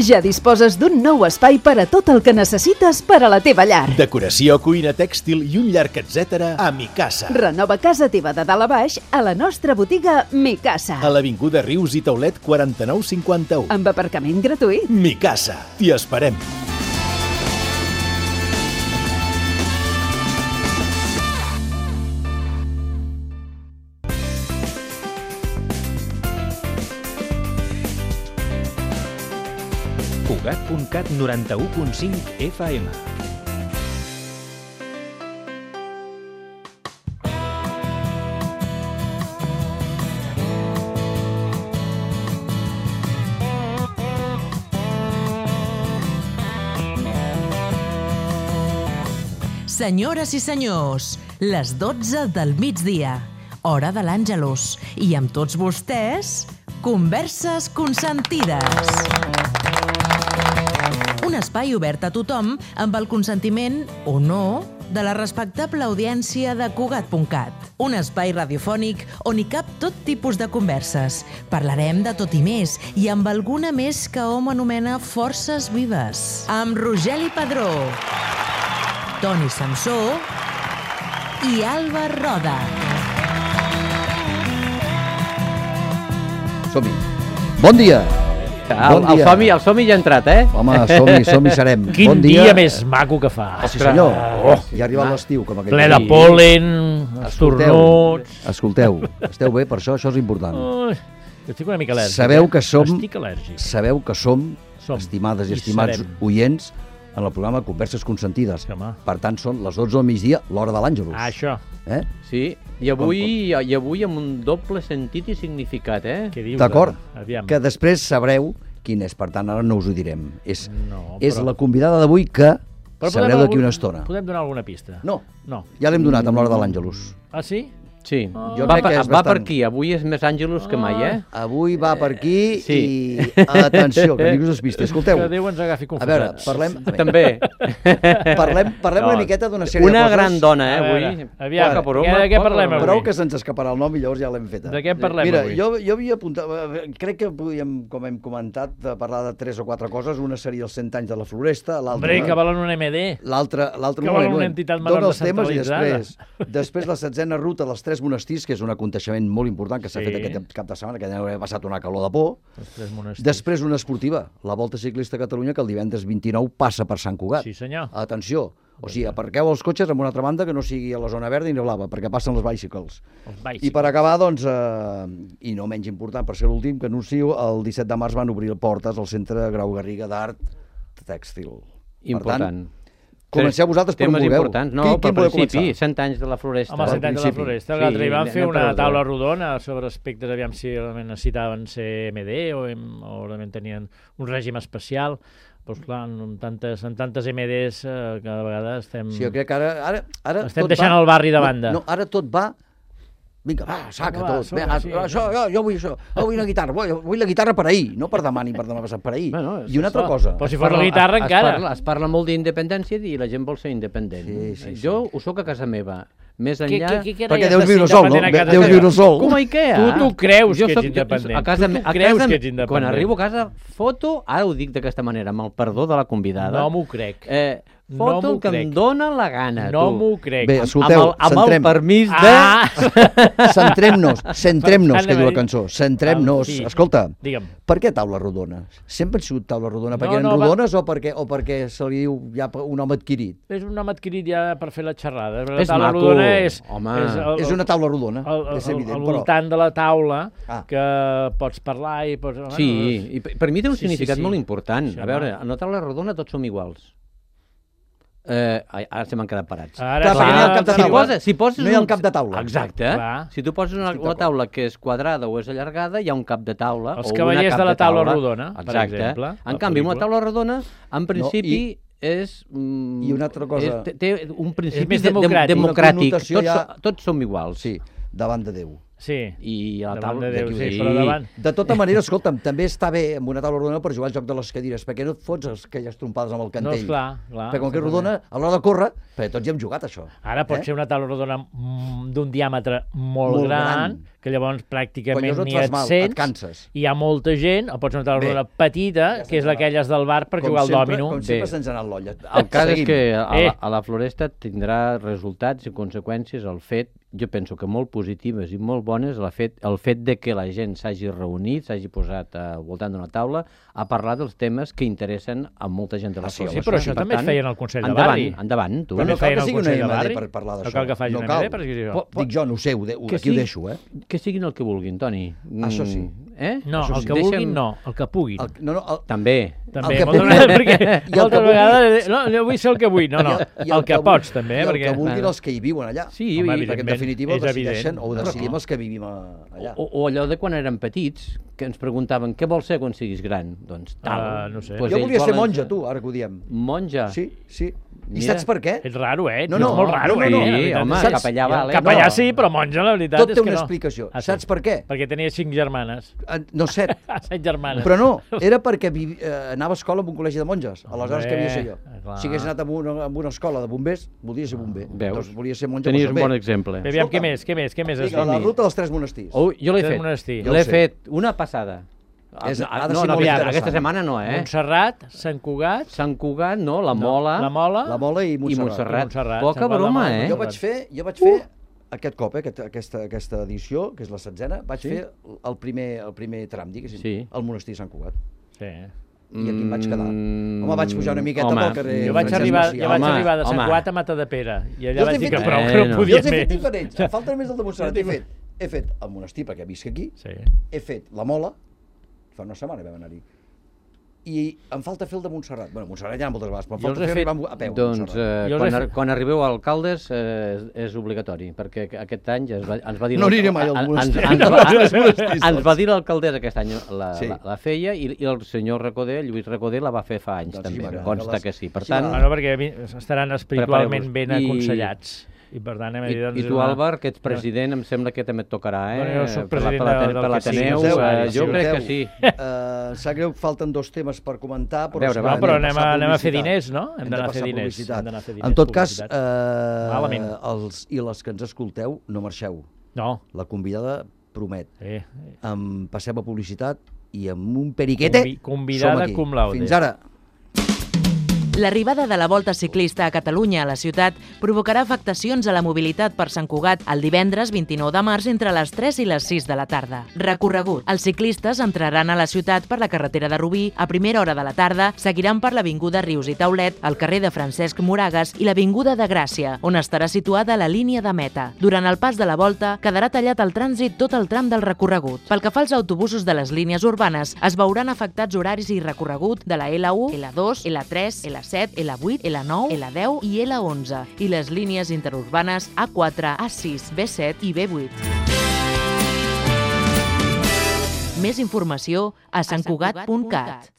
Ja disposes d'un nou espai per a tot el que necessites per a la teva llar. Decoració, cuina, tèxtil i un llarg etcètera a Micasa. Renova casa teva de dalt a baix a la nostra botiga Micasa. A l'avinguda Rius i Taulet 4951. Amb aparcament gratuït. Micasa. T'hi esperem. Cugat.cat 91.5 FM. Senyores i senyors, les 12 del migdia, hora de l'Àngelus, i amb tots vostès, Converses Consentides. Un espai obert a tothom amb el consentiment, o no, de la respectable audiència de Cugat.cat. Un espai radiofònic on hi cap tot tipus de converses. Parlarem de tot i més, i amb alguna més que hom anomena forces vives. Amb Rogeli Padró, Toni Samsó i Alba Roda. Som-hi. Bon dia! El som-hi ja ha entrat, eh? Home, som-hi serem. Quin dia més maco que fa. Sí, senyor. Ja ha arribat l'estiu, com aquell. Ple de pol·len, estornuts. Escolteu, esteu bé per això? Això és important. Estic una mica al·lèrgic. Estic al·lèrgic. Sabeu que som, estimades i estimats oients, en el programa Converses Consentides. Per tant, són les 12 del migdia, l'hora de l'Àngelus. Això. Sí, i avui amb un doble sentit i significat, eh? D'acord, que després sabreu quin és, per tant, ara no us ho direm. És la convidada d'avui que sabreu d'aquí una estona. Podem donar alguna pista? No, ja l'hem donat amb l'hora de l'Àngelus. Ah, sí? Sí, va per aquí, avui és més Àngelus que mai, eh? Avui va per aquí i atenció, que ningú us vist. Escolteu, que Déu ens agafi confessats. A veure, parlem... També. Parlem una miqueta d'una sèrie de coses. Una gran dona, avui. Aviam, de què parlem avui? Prou que se'ns escaparà el nom i llavors ja l'hem feta. De què parlem avui? Mira, jo havia apuntat... Crec que podíem, com hem comentat, parlar de 3 o 4 coses. Una seria els 100 anys de la Floresta, l'altra... Hombre, que volen un MD. L'altra... Que volen una entitat menor descentralitzada. Després la 7a ruta dels 3 monestirs, que és un aconteixement molt important que s'ha fet aquest cap de setmana, que ja ha passat una calor de por. Després una esportiva, la Volta Ciclista a Catalunya, que el divendres 29 passa per Sant Cugat. Sí, senyor. Atenció, o sigui, aparqueu els cotxes en una altra banda que no sigui a la zona verda i no blava, perquè passen els bicycles. I per acabar, doncs, i no menys important, per ser l'últim, que anuncio, el 17 de març van obrir portes al Centre Grau Garriga d'Art Tèxtil. Important. Comenceu vosaltres per on vulgueu. Temes importants. No, per principi, 100 anys de la Floresta. Home, 100 anys de la Floresta. L'altre hi van fer una taula rodona sobre aspectes, aviam si realment necessitaven ser MD o realment tenien un règim especial. Doncs clar, amb tantes MDs cada vegada estem... Sí, jo crec que ara estem deixant el barri de banda. No, ara tot va... Vinga, saca tot. Jo vull això. Vull una guitarra. Vull la guitarra per ahir, no per demà ni per demà passat, per ahir. I una altra cosa. Però si fos la guitarra encara. Es parla molt d'independència i la gent vol ser independent. Jo ho soc a casa meva. Més enllà... Perquè deus viure sol, no? Deus viure sol. Com a Ikea. Tu creus que ets independent. Tu creus que ets independent. Quan arribo a casa, foto, ara ho dic d'aquesta manera, amb el perdó de la convidada. No m'ho crec. Foto que em dóna la gana. No m'ho crec. Bé, escolteu, amb el permís de... Centrem-nos, que diu la cançó. Centrem-nos. Escolta, digue'm. Per què taula rodona? Sempre han sigut taula rodona? Perquè eren rodones o perquè se li diu ja un home adquirit? És un home adquirit ja per fer la xerrada. És maco. És una taula rodona, és evident. Al voltant de la taula que pots parlar i pots... Sí, i per mi té un significat molt important. A veure, a una taula rodona tots som iguals. Ara se m'han quedat parats. Si poses no hi ha un cap de taula. Exacte. Si tu poses una taula que és quadrada o és allargada, hi ha un cap de taula. Els cavallers de la taula rodona, per exemple. En canvi, una taula rodona, en principi, és... I una altra cosa... Té un principi democràtic. Tots som iguals. Sí, davant de Déu. I a la taula... De tota manera, escolta'm, també està bé amb una taula rodona per jugar al joc de les cadires, perquè no et fots aquelles trompades amb el cantell. No, clar. Perquè com que és rodona, a l'hora de córrer, perquè tots hi hem jugat, això. Ara pot ser una taula rodona d'un diàmetre molt gran, que llavors pràcticament ni et sents, i hi ha molta gent, o pot ser una taula rodona petita, que és d'aquelles del bar per jugar al dòmino. Com sempre se'ns ha anat l'olla. El cas és que a la Floresta tindrà resultats i conseqüències el fet, jo penso que molt positives i molt bones, el fet de que la gent s'hagi reunit, s'hagi posat al voltant d'una taula a parlar dels temes que interessen a molta gent de la Floresta. Sí, però això també es feia en el Consell de Barri. Endavant, tu. Però no cal que sigui una EMD per parlar d'això. No cal que faci una EMD per dir això. Dic jo, no ho sé, aquí ho deixo, Que siguin el que vulguin, Toni. Això sí. No, el que vulguin no, el que puguin. També. També, perquè moltes vegades no vull ser el que vull, no, el que pots també. I el que vulguin els que hi viuen allà. Sí, perquè en definitiva ho decidim els que vivim allà. O allò de quan érem petits, que ens preguntaven què vols ser quan siguis gran? Doncs tal. No sé. Jo volia ser monja, tu, ara que ho diem. Monja? Sí. I saps per què? És raro, No, molt raro, Sí, home, capellà vale. Capellà sí, però monja, la veritat és que no. Tot té una explicació. Saps per què? Perquè tenia 5 germanes. No, 7. 7 germanes. Però no, era perquè anava a escola en un col·legi de monges. Aleshores, què havia de ser jo? Si hagués anat a una escola de bombers, volia ser bomber. Veus? Volia ser monja. Tenies un bon exemple. Aviam, què més? Vinga, la ruta dels 3 monestirs. Jo l'he fet una passada. Aquesta setmana no, Montserrat, Sant Cugat... no, la Mola i Montserrat. Poca broma, Jo vaig fer aquest cop, aquesta edició, que és la 7a, vaig fer el primer tram, diguéssim, al monestir de Sant Cugat. Sí. I aquí em vaig quedar. Home, vaig pujar una miqueta pel carrer... Jo vaig arribar de Sant Cugat a Matadepera, i allà vaig dir que prou, que no podia més. Jo els he fet diferents, em falta només el de Montserrat. He fet el monestir, perquè visc aquí, he fet la Mola, fa una setmana vam anar-hi, i em falta fer el de Montserrat. Bueno, Montserrat ja moltes vegades, però em falta fer a peu. Doncs quan arribeu a Alcaldes és obligatori, perquè aquest any ens va dir... No aniré mai al monestir. Ens va dir l'alcaldessa aquest any la feia, i el senyor Recoder, Lluís Recoder, la va fer fa anys també, consta que sí. Per tant... perquè estaran espiritualment ben aconsellats. I per tant, I tu, Àlvar, que ets president, em sembla que també et tocarà, jo soc president per l'Ateneu, jo crec que sí. Sap greu que falten 2 temes per comentar, però anem a fer diners, no? Hem d'anar a fer diners. En tot cas, els i les que ens escolteu, no marxeu. No. La convidada promet. Passem a publicitat i amb un periquete som aquí. Fins ara. L'arribada de la Volta Ciclista a Catalunya a la ciutat provocarà afectacions a la mobilitat per Sant Cugat el divendres 29 de març entre les 3 i les 6 de la tarda. Recorregut. Els ciclistes entraran a la ciutat per la carretera de Rubí a primera hora de la tarda, seguiran per l'avinguda Rius i Taulet, el carrer de Francesc Moragas i l'avinguda de Gràcia, on estarà situada la línia de meta. Durant el pas de la volta quedarà tallat el trànsit tot el tram del recorregut. Pel que fa als autobusos de les línies urbanes, es veuran afectats horaris i recorregut de la L1, L2, L3, L7, L8, L9, L10 i L11 i les línies interurbanes A4, A6, B7 i B8. Més informació a santcugat.cat.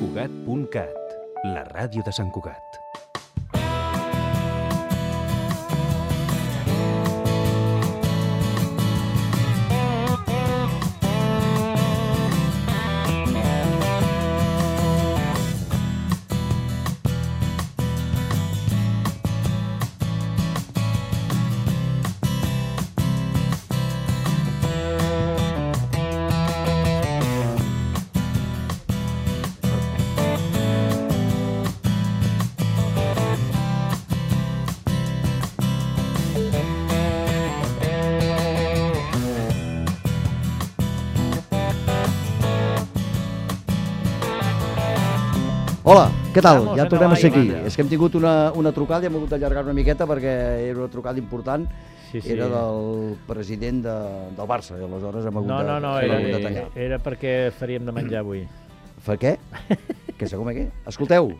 Cugat.cat, la ràdio de Sant Cugat. Hola, què tal? Ja tornem a ser aquí. És que hem tingut una trucada i hem hagut d'allargar una miqueta perquè era una trucada important. Era del president del Barça i aleshores hem hagut de tallar. Era perquè faríem de menjar avui. Fa què? Què sé com què? Escolteu.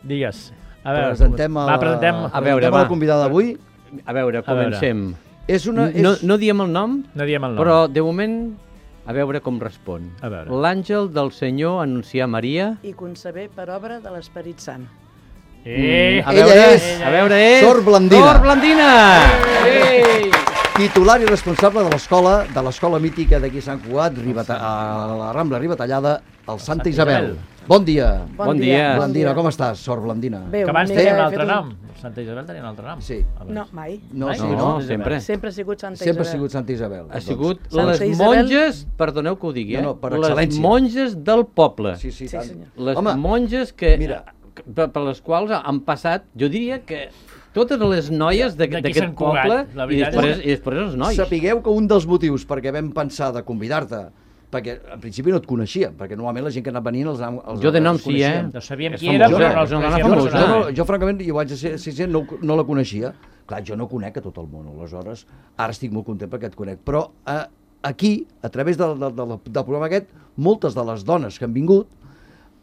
Digues. Presentem la convidada d'avui. A veure, comencem. No diem el nom, però de moment... A veure com respon. L'àngel del Senyor anuncià Maria... I concebé per obra de l'Esperit Sant. Ella és Sor Blandina. Sor Blandina! Titular i responsable de l'escola mítica d'aquí Sant Cugat, a la Rambla Ribatallada, el Santa Isabel. Bon dia. Bon dia. Blandina, com estàs, Sor Blandina? Bé, que abans tenia un altre nom. Santa Isabel tenia un altre nom. Sí. No, mai. No, sempre. Sempre ha sigut Santa Isabel. Sempre ha sigut Santa Isabel. Ha sigut les monges, perdoneu que ho digui, per excel·lència. Les monges del poble. Sí, senyor. Les monges que, per les quals han passat, jo diria que totes les noies d'aquest poble i després els nois. Sapigueu que un dels motius perquè vam pensar de convidar-te, perquè en principi no et coneixia, perquè normalment la gent que ha anat venint els jo de nom sí, no sabíem qui era, però no els coneixíem. Jo francament, jo vaig ser no la coneixia. Clar, jo no conec a tot el món, aleshores ara estic molt content perquè et conec, però aquí, a través del programa aquest, moltes de les dones que han vingut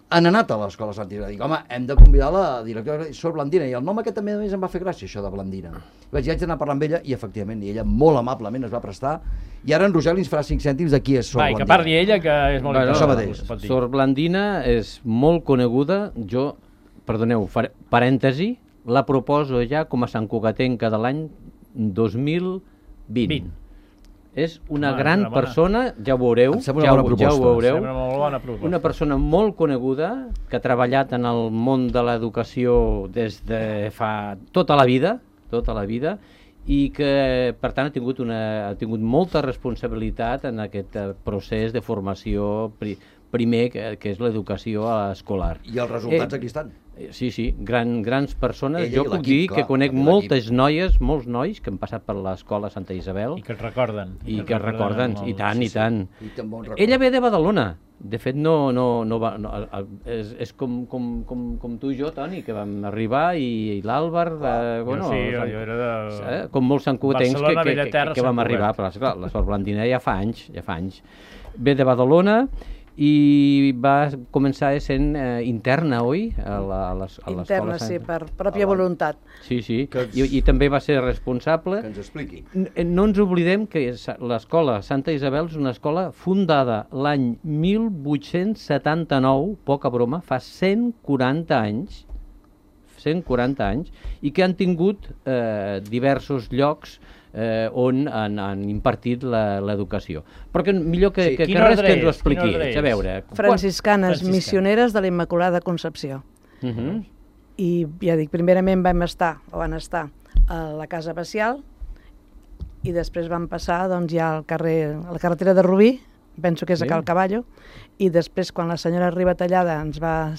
han anat a l'escola Santa Isabel. Dic, home, hem de convidar la directora Sor Blandina, i el nom aquest també a més em va fer gràcia, això de Blandina. Vaig anar a parlar amb ella i efectivament, ella molt amablement es va prestar, i ara en Rogeli ens farà 5 cèntims de qui és Sor Blandina. Que parli ella, que és molt important. Sor Blandina és molt coneguda, perdoneu, parèntesi, la proposo ja com a santcugatenca de l'any 2020. És una gran persona, ja ho veureu, una persona molt coneguda, que ha treballat en el món de l'educació des de fa tota la vida, i que, per tant, ha tingut molta responsabilitat en aquest procés de formació primer, que és l'educació escolar. I els resultats aquí estan. Sí, grans persones. Jo puc dir que conec moltes noies, molts nois que han passat per l'escola Santa Isabel. I que es recorden. I tant. Ella ve de Badalona. De fet, és com tu i jo, Toni, que vam arribar, i l'Àlvar... Jo era de... Com molts santcugatencs que vam arribar. Però, clar, la Sor Blandina ja fa anys. Ve de Badalona, i va començar sent interna, oi? Interna, sí, per pròpia voluntat. Sí, i també va ser responsable. Que ens expliqui. No ens oblidem que l'escola Santa Isabel és una escola fundada l'any 1879, poca broma, fa 140 anys, i que han tingut diversos llocs on han impartit l'educació. Però que millor que res que ens ho expliqui. A veure... Franciscanes missioneres de la Immaculada Concepció. I ja dic, primerament van estar a la Casa Bacial, i després van passar ja a la carretera de Rubí, penso que és a Cal Caballo, i després quan la senyora Ribatallada ens va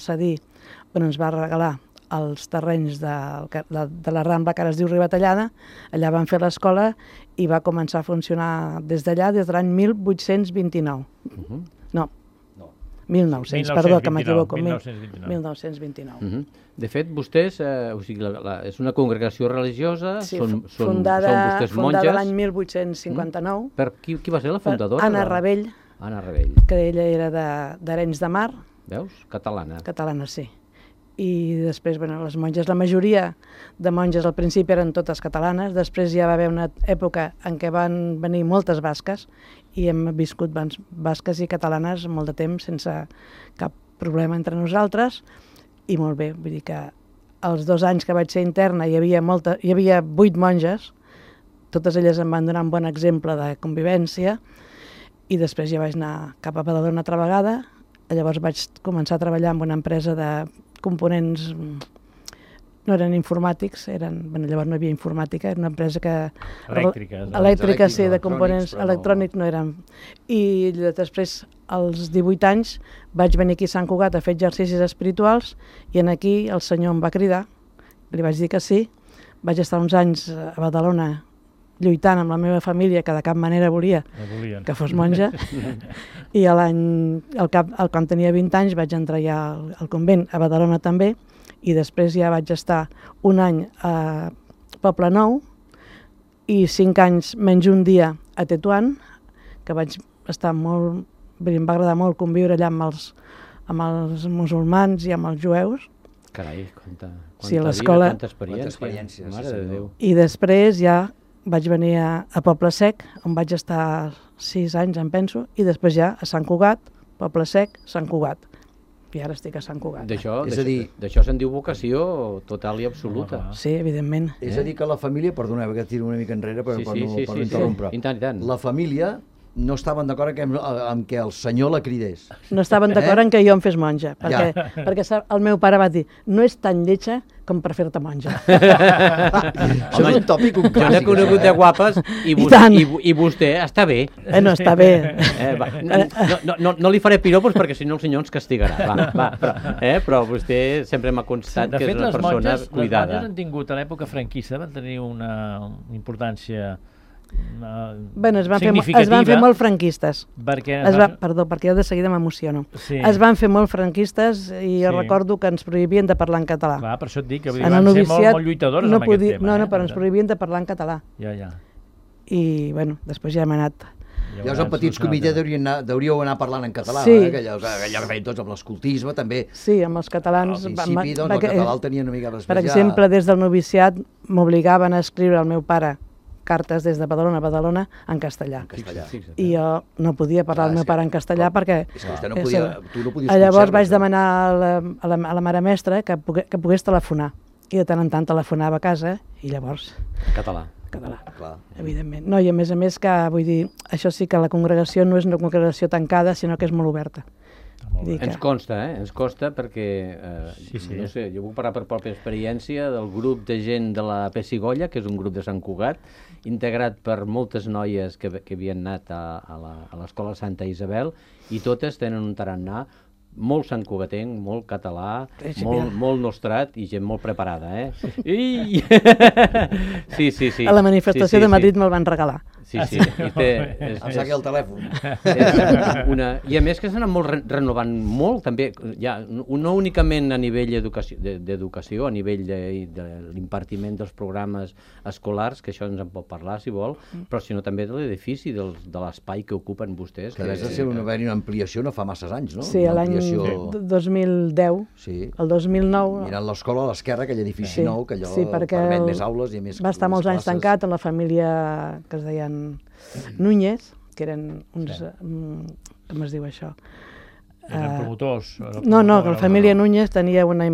regalar els terrenys de la Rambla, que ara es diu Ribatallada, allà van fer l'escola i va començar a funcionar des d'allà des de l'any 1829. No, 1900, perdó, que m'equivoco. 1929. De fet, vostès, és una congregació religiosa, són fundada vostès monges. L'any 1859. Per qui va ser la fundadora? Anna Ravell. Anna Ravell. Que ella era d'Arenys de Mar. Veus? Catalana. Catalana, sí. I després, les monges, la majoria de monges al principi eren totes catalanes, després ja va haver una època en què van venir moltes basques i hem viscut basques i catalanes molt de temps sense cap problema entre nosaltres, i molt bé, vull dir que els 2 anys que vaig ser interna hi havia 8 monges, totes elles em van donar un bon exemple de convivència, i després ja vaig anar cap a Badalona altra vegada. Llavors vaig començar a treballar en una empresa de components, no eren informàtics, llavors no hi havia informàtica, era una empresa que... Elèctrica, sí, de components electrònics no eren. I després, als 18 anys, vaig venir aquí a Sant Cugat a fer exercicis espirituals, i aquí el senyor em va cridar, li vaig dir que sí, vaig estar uns anys a Badalona lluitant amb la meva família, que de cap manera volia que fos monja, i quan tenia 20 anys vaig entrar ja al convent, a Badalona també, i després ja vaig estar un any a Poblenou i 5 anys menys un dia a Tetuan, que vaig estar molt... Em va agradar molt conviure allà amb els musulmans i amb els jueus. Carai, quanta experiència. Mare de Déu. I després ja vaig venir a Poble Sec, on vaig estar 6 anys, em penso, i després ja a Sant Cugat, Poble Sec, Sant Cugat. i ara estic a Sant Cugat. D'això se'n diu vocació total i absoluta. Sí, evidentment. És a dir, que la família, perdoneu que tiro una mica enrere per no interrompre, la família no estaven d'acord amb que el senyor la cridés. No estaven d'acord en que jo em fes monja, perquè el meu pare va dir, no és tan lletja com per fer-te monja. Això és un tòpic, un clàssic. Jo n'he conegut de guapes i vostè està bé. No, està bé. No li faré piropos perquè si no el senyor ens castigarà. Però vostè sempre m'ha constat que és una persona cuidada. Les monges han tingut a l'època franquista, van tenir una importància es van fer molt franquistes. Perdó, perquè jo de seguida m'emociono. Es van fer molt franquistes i jo recordo que ens prohibien de parlar en català. Clar, per això et dic que van ser molt lluitadores amb aquest tema. No, però ens prohibien de parlar en català. I, bueno, després ja hem anat... Llavors, en petits comitès hauríeu anar parlant en català, que allò que feien tots amb l'escoltisme, també. Sí, amb els catalans... Al principi, doncs, el català el tenia una mica respectat. Per exemple, des del noviciat m'obligaven a escriure al meu pare cartes des de Badalona a Badalona en castellà. I jo no podia parlar al meu pare en castellà perquè... És que vostè no podia... Tu no podies... Llavors vaig demanar a la mare mestra que pogués telefonar. I de tant en tant telefonava a casa i llavors... Català, evidentment. No, i a més que, vull dir, això sí que la congregació no és una congregació tancada, sinó que és molt oberta. Ens consta perquè, no sé, jo puc parlar per pròpia experiència del grup de gent de la Pessigolla, que és un grup de Sant Cugat, integrat per moltes noies que havien anat a l'escola Santa Isabel, i totes tenen un tarannà molt santcugatenc, molt català, molt nostrat i gent molt preparada, Sí. A la manifestació de Madrid me'l van regalar. Sí. Em saqui el telèfon. I a més que s'han anat molt renovant molt, també, no únicament a nivell d'educació, a nivell de l'impartiment dels programes escolars, que això ens en pot parlar, si vol, però sinó també de l'edifici, de l'espai que ocupen vostès. Que has de ser una ampliació no fa masses anys, no? Sí, l'any 2010, el 2009... Mirant l'escola a l'esquerra, aquell edifici nou, que allò permet més aules i més classes. Va estar molts anys tancat en la família que es deien Núñez, que eren uns... com es diu això? Eren promotors? No, que la família Núñez tenia una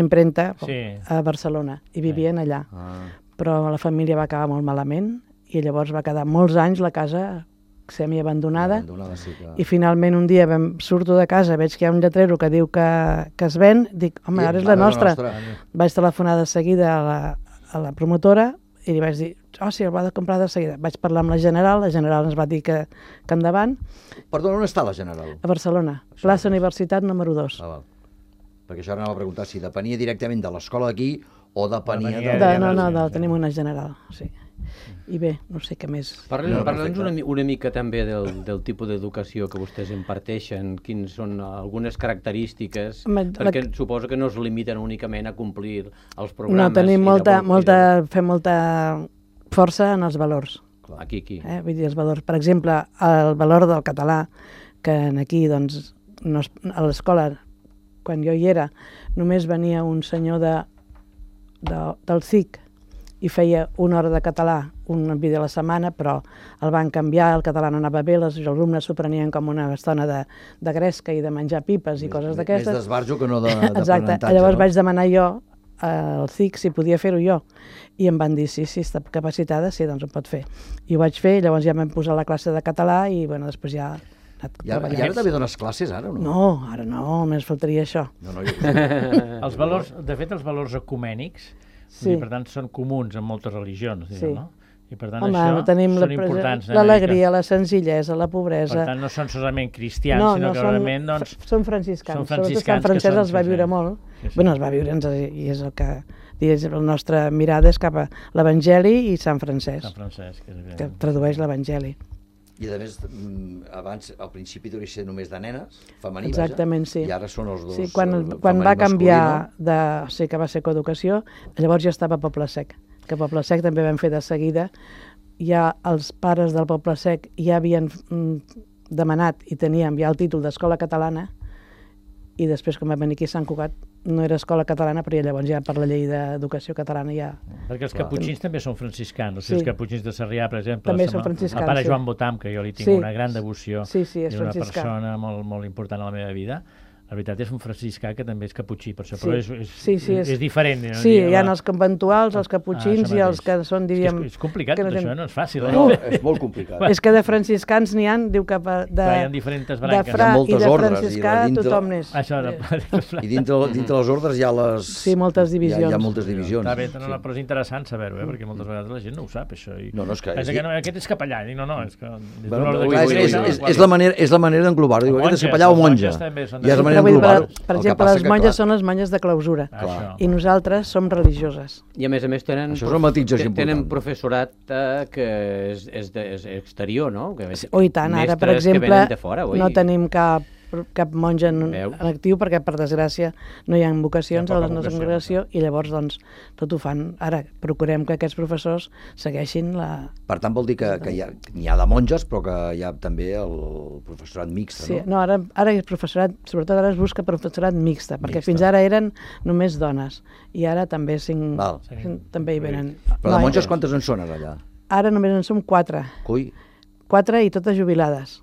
impremta a Barcelona i vivien allà. Però la família va acabar molt malament i llavors va quedar molts anys la casa semiabandonada i finalment un dia surto de casa, veig que hi ha un lletrero que diu que es ven, dic, home, ara és la nostra. Vaig telefonar de seguida a la promotora i li vaig dir, sí, el va de comprar de seguida. Vaig parlar amb la General ens va dir que endavant. Perdona, on està la General? A Barcelona, plaça Universitat número 2. Perquè això anava a preguntar si depenia directament de l'escola d'aquí o depenia No, tenim una General, sí. I bé, no sé què més. Parla'ns una mica també del tipus d'educació que vostès imparteixen, quines són algunes característiques, perquè suposo que no es limiten únicament a complir els programes. No, tenim fem molta força en els valors. Aquí. Vull dir, els valors. Per exemple, el valor del català, que aquí, doncs, a l'escola, quan jo hi era, només venia un senyor del CIC, i feia una hora de català, un vídeo a la setmana, però el van canviar, el català no anava bé, els alumnes s'ho prenien com una estona de gresca i de menjar pipes i coses d'aquestes. Més d'esbarjo que no d'aprenentatge. Exacte, llavors vaig demanar jo al CIC si podia fer-ho jo, i em van dir, sí, està capacitada, sí, doncs ho pot fer. I ho vaig fer, llavors ja vam posar la classe de català i després ja... I ara també dones classes, ara, o no? No, ara no, només faltaria això. De fet, els valors ecumènics, per tant, són comuns en moltes religions, no? I per tant, això són importants. L'alegria, la senzillesa, la pobresa... Per tant, no són solament cristians, sinó que realment... Són franciscans. Sobretot Sant Francesc els va viure molt. Bueno, els va viure, i és el que... La nostra mirada és cap a l'Evangeli i Sant Francesc, que tradueix l'Evangeli. I a més, abans, al principi devia ser només de nenes, femení, exactament, sí. I ara són els dos. Sí, quan va canviar que va ser coeducació, llavors ja estava a Poble Sec, que a Poble Sec també vam fer de seguida. Ja els pares del Poble Sec ja havien demanat i teníem ja el títol d'escola catalana, i després, quan va venir aquí a Sant Cugat, no era escola catalana, però llavors ja per la llei d'educació catalana ja... Perquè els caputxins també són franciscans, els caputxins de Sarrià, per exemple, també són franciscans, el pare Joan Botam, que jo li tinc una gran devoció, és una persona molt important a la meva vida, La veritat és un franciscà que també és caputxí, per això, Sí. però és diferent. No? Sí, hi ha els conventuals, els caputxins i els que són, diríem... És complicat, tot això, no és fàcil. No, és molt complicat. És que de franciscans n'hi ha, diu que Hi ha diferents branques. de fra i de franciscà tothom n'és. I dintre les ordres hi ha les... Sí, moltes divisions. Hi ha moltes divisions. Està bé, però és interessant saber-ho, perquè moltes vegades la gent no ho sap, això. No, és que... Pensa que aquest és capellà, i no, és que... És la manera d'englobar-ho. Aquest és capellà o monja. I és la manera d'englobar-ho. Per exemple, les monges són les monges de clausura i nosaltres som religioses. I a més tenen professorat que és exterior, no? I tant, ara per exemple no tenim cap monja en actiu perquè per desgràcia no hi ha vocacions a la nostra congregació i llavors doncs tot ho fan. Ara procurem que aquests professors segueixin la... Per tant vol dir que n'hi ha de monges però que hi ha també el professorat mixta, no? Sí, no, ara és professorat, sobretot ara es busca professorat mixta, perquè fins ara eren només dones i ara també també hi venen. Però de monges quantes en són allà? Ara només en som 4. Cui? 4 i totes jubilades.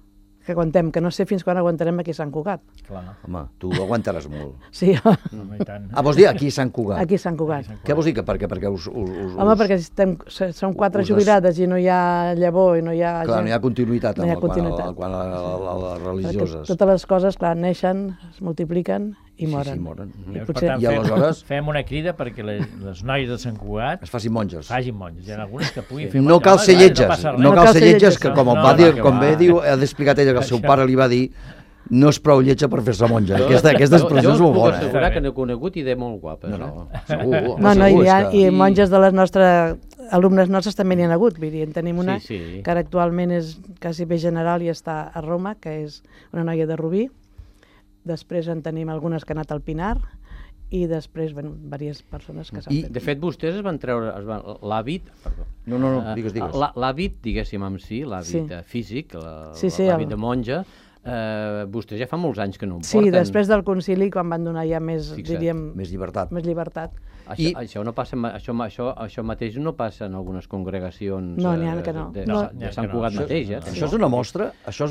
Que aguantem, que no sé fins quan aguantarem aquí a Sant Cugat. Clar. Home, tu aguantaràs molt. Sí. Vols dir aquí a Sant Cugat? Aquí a Sant Cugat. Què vols dir? Perquè us... Home, perquè som 4 jubilades i no hi ha llavor i no hi ha... Clar, no hi ha continuïtat quan a les religioses. Perquè totes les coses, clar, neixen, es multipliquen i moren. Sí, moren. Per tant, fem una crida perquè les noies de Sant Cugat es facin monges. Hi ha algunes que puguin fer monges. No cal ser lletges, que com bé diu, ha explicat ella que el seu pare li va dir no és prou lletja per fer-se monja. Aquesta expressió és molt bona. Jo puc assegurar que n'he conegut i de molt guapes. No, i monges de les nostres alumnes nostres també n'hi ha hagut. En tenim una que ara actualment és quasi bé general i està a Roma, que és una noia de Rubí. Després en tenim algunes que han anat al Pinar i després, diverses persones que s'han fet. De fet, vostès es van treure l'hàbit... No, digues. L'hàbit, diguéssim, l'hàbit físic, l'hàbit de monja, vostès ja fa molts anys que no ho porten. Sí, després del concili, quan van donar ja més, diríem... Més llibertat. Això no passa, això mateix no passa en algunes congregacions de Sant Cugat mateix. Això és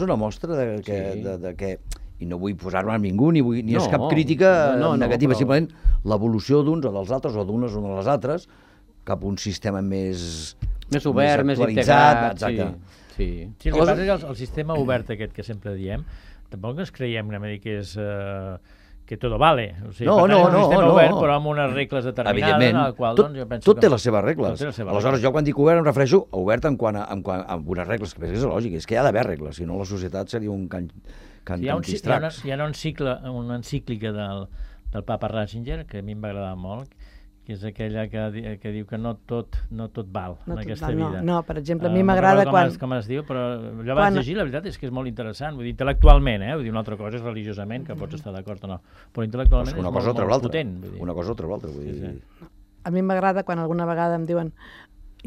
una mostra de que i no vull posar-me a ningú, ni és cap crítica negativa, simplement l'evolució d'uns o dels altres, o d'unes o de les altres, cap a un sistema més obert, més integrat. Exacte. Sí, el que passa és que el sistema obert aquest que sempre diem, tampoc ens creiem que és... que tot vale. No. Un sistema obert, però amb unes regles determinades, en el qual jo penso tot té les seves regles. Aleshores, jo quan dic obert em refereixo a obert amb unes regles, que és lògic, és que hi ha d'haver regles, si no la societat seria un hi ha una encíclica del papa Ratzinger, que a mi em va agradar molt, que és aquella que diu que no tot val en aquesta vida. No, per exemple, a mi m'agrada quan... Com es diu, però jo vaig llegir, la veritat és que és molt interessant, vull dir, intel·lectualment, vull dir, una altra cosa és religiosament, que pots estar d'acord o no, però intel·lectualment és molt potent. Una cosa o l'altra, vull dir... A mi m'agrada quan alguna vegada em diuen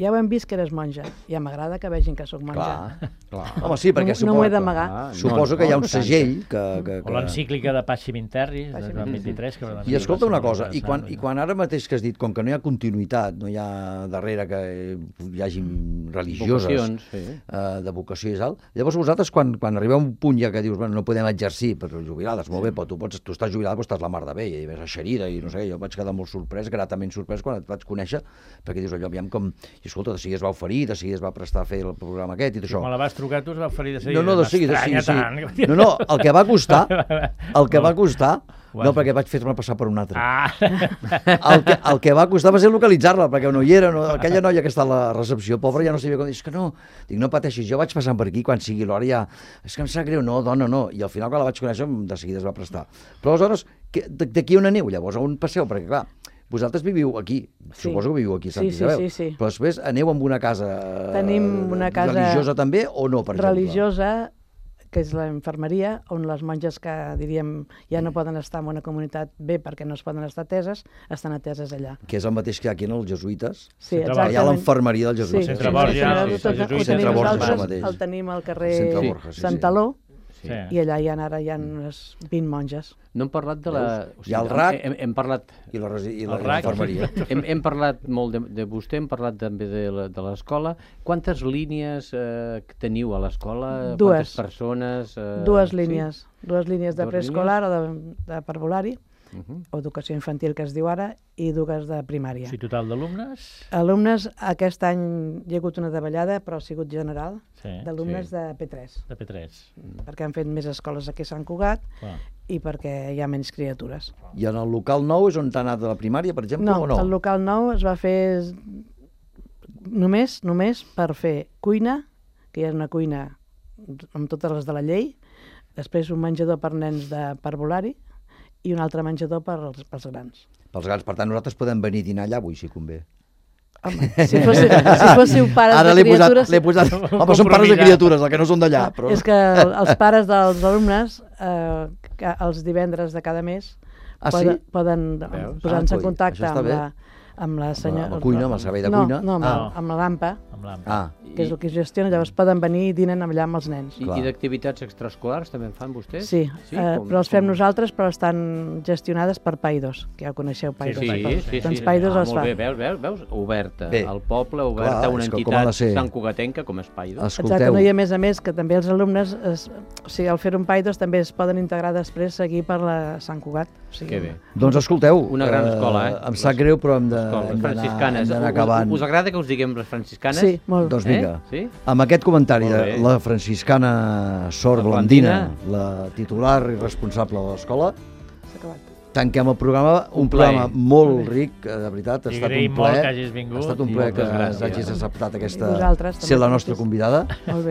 ja ho hem vist que eres monja, ja m'agrada que vegin que sóc monja. Clar. Home, sí, perquè no m'ho he d'amagar. Suposo que hi ha un segell que... O l'encíclica de Pasci Terri, del 23. I escolta una cosa, i quan ara mateix que has dit, com que no hi ha continuïtat, no hi ha darrere que hi hagi religioses de vocació i tal, llavors vosaltres quan arribeu a un punt ja que dius, no podem exercir per jubilades, molt bé, però tu estàs jubilada, però estàs la mar de bé, i ves eixerida, i no sé, jo vaig quedar molt sorprès, gratament sorprès quan et vaig conèixer, perquè dius allò, aviam com... I escolta, de seguida es va oferir, de seguida es va prestar a fer el programa aquest i d'això. Quan la vas trucar, tu es va oferir de seguida. No, de seguida, sí. No, el que va costar, no, perquè vaig fer-me passar per un altre. El que va costar va ser localitzar-la, perquè no hi era, aquella noia que està a la recepció, pobra, ja no sabia com dir, és que no, dic, no pateixis, jo vaig passant per aquí, quan sigui l'hora ja, és que em sap greu, no, dona, no, i al final quan la vaig conèixer, de seguida es va prestar. Però aleshores, d'aquí on aneu, llavors, on passeu, perquè clar, vosaltres viviu aquí, suposo que viviu aquí a Sant Isabel, però després aneu amb una casa religiosa també o no, per exemple? Religiosa, que és la infermeria, on les monges que, diríem, ja no poden estar en una comunitat bé perquè no es poden estar ateses, estan ateses allà. Que és el mateix que hi ha aquí en els jesuïtes? Sí, exactament. Hi ha l'infermeria dels jesuïtes. Centre Borja, el tenim al carrer Santaló, I allà ara hi ha unes 20 monges. No hem parlat de la... Hi ha el RAC hem parlat... i la infermeria. Hem parlat molt de vostè, hem parlat també de l'escola. Quantes línies teniu a l'escola? Quantes persones? Dues línies. Dues línies de preescolar o de parvulari, o educació infantil, que es diu ara, i dues de primària. Sí, total d'alumnes? Alumnes, aquest any hi ha hagut una davallada, però ha sigut general, d'alumnes de P3. De P3. Perquè han fet més escoles aquí a Sant Cugat i perquè hi ha menys criatures. I en el local nou és on t'ha anat a la primària, per exemple, o no? No, el local nou es va fer només per fer cuina, que hi ha una cuina amb totes les de la llei, després un menjador per nens de parvulari, i un altre menjador pels grans. Pels grans, per tant, nosaltres podem venir a dinar allà avui, si convé. Home, si fóssiu pares de criatures... L'he posat... Home, són pares de criatures, el que no són d'allà. Però... És que els pares dels alumnes, els divendres de cada mes, poden posar-se en contacte amb la senyora... Amb la cuina, amb el servei de cuina? No, amb la l'AMPA, que és el que gestiona, llavors poden venir i dinen allà amb els nens. I d'activitats extraescolars també en fan vostès? Sí, però els fem nosaltres, però estan gestionades per Paidos, que ja ho coneixeu, Paidos. Sí. Doncs Paidos els fa. Molt bé, veus? Oberta, al poble, oberta a una entitat santcugatenca com és Paidos. Exacte, no, i a més que també els alumnes, al fer un Paidos, també es poden integrar després, seguir per la Sant Cugat. Que bé. Doncs escolteu, una gran escola, em sap greu, però hem les franciscanes. d'anar acabant. Us agrada que us diguem les franciscanes? Sí, molt. Doncs vinga, amb aquest comentari de la franciscana Sor Blandina, la titular i responsable de l'escola, tanquem el programa, un programa molt ric, de veritat, ha estat un plaer. Ha estat un plaer que hagis acceptat ser la nostra convidada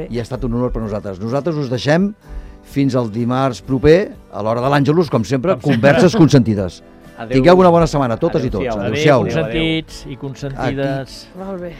i ha estat un honor per nosaltres. Nosaltres us deixem fins al dimarts proper, a l'hora de l'Àngelus, com sempre, converses consentides. Tingueu una bona setmana, totes i tots. Adéu, consentits i consentides. Molt bé.